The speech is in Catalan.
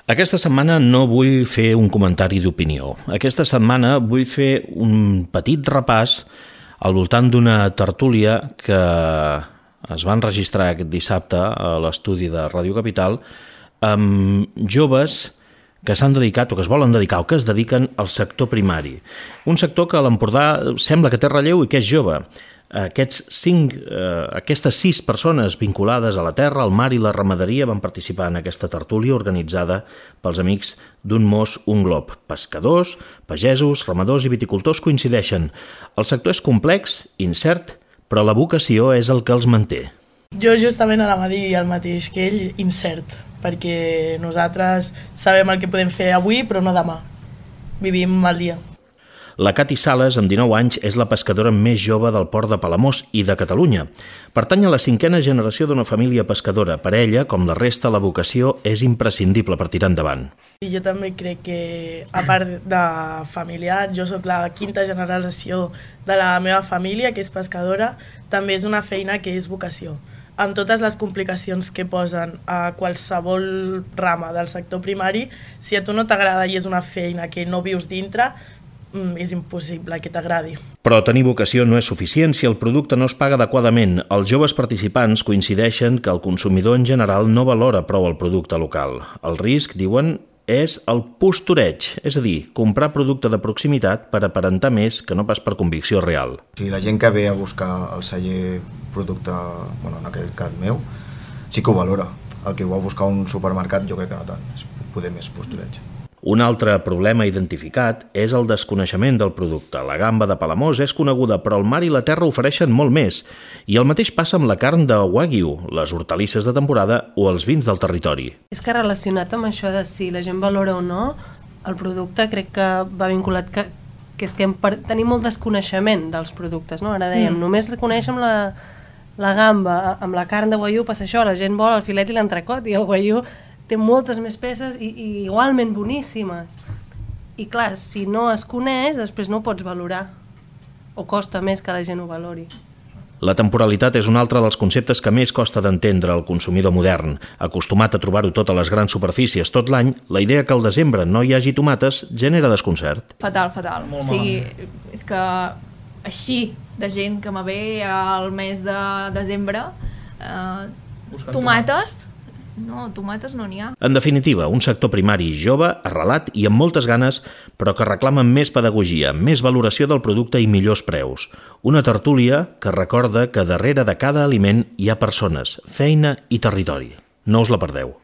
Aquesta setmana no vull fer un comentari d'opinió. Aquesta setmana vull fer un petit repàs al voltant d'una tertúlia que es va enregistrar aquest dissabte a l'estudi de Ràdio Capital amb joves que s'han dedicat o que es volen dedicar o que es dediquen al sector primari. Un sector que a l'Empordà sembla que té relleu i que és jove. Aquestes 6 persones vinculades a la terra, al mar i la ramaderia van participar en aquesta tertúlia organitzada pels amics d'un mos, un glob. Pescadors, pagesos, ramadors i viticultors coincideixen. El sector és complex, incert, però la vocació és el que els manté. Jo justament anava a dir el mateix que ell, incert, perquè nosaltres sabem el que podem fer avui però no demà. Vivim el dia. La Cati Sales, amb 19 anys, és la pescadora més jove del port de Palamós i de Catalunya. Pertany a la 5a generació d'una família pescadora. Per ella, com la resta, la vocació és imprescindible per tirar endavant. I jo també crec que, a part de familiar, jo sóc la 5a generació de la meva família, que és pescadora, també és una feina que és vocació. Amb totes les complicacions que posen a qualsevol rama del sector primari, si a tu no t'agrada i és una feina que no vius dintre, és impossible que t'agradi. Però tenir vocació no és suficient si el producte no es paga adequadament. Els joves participants coincideixen que el consumidor en general no valora prou el producte local. El risc, diuen, és el postureig, és a dir, comprar producte de proximitat per aparentar més que no pas per convicció real. Si la gent que ve a buscar el celler producte, en aquell cas meu, sí que ho valora. El que ho va buscar un supermercat jo crec que no tant, és poder més postureig. Un altre problema identificat és el desconeixement del producte. La gamba de Palamós és coneguda, però el mar i la terra ofereixen molt més. I el mateix passa amb la carn de Wagyu, les hortalisses de temporada o els vins del territori. És que relacionat amb això de si la gent valora o no, el producte crec que va vinculat que és que tenim molt desconeixement dels productes, no? Ara dèiem, només coneixem la gamba, amb la carn de Wagyu passa això, la gent vol el filet i l'entrecot i el Wagyu té moltes més peces i igualment boníssimes. I clar, si no es coneix, després no ho pots valorar. O costa més que la gent ho valori. La temporalitat és un altre dels conceptes que més costa d'entendre al consumidor modern. Acostumat a trobar-ho tot a les grans superfícies tot l'any, la idea que al desembre no hi hagi tomates genera desconcert. Fatal. O sigui, és que així de gent que me ve al mes de desembre, tomates no n'hi ha. En definitiva, un sector primari jove, arrelat i amb moltes ganes, però que reclama més pedagogia, més valoració del producte i millors preus. Una tertúlia que recorda que darrere de cada aliment hi ha persones, feina i territori. No us la perdeu.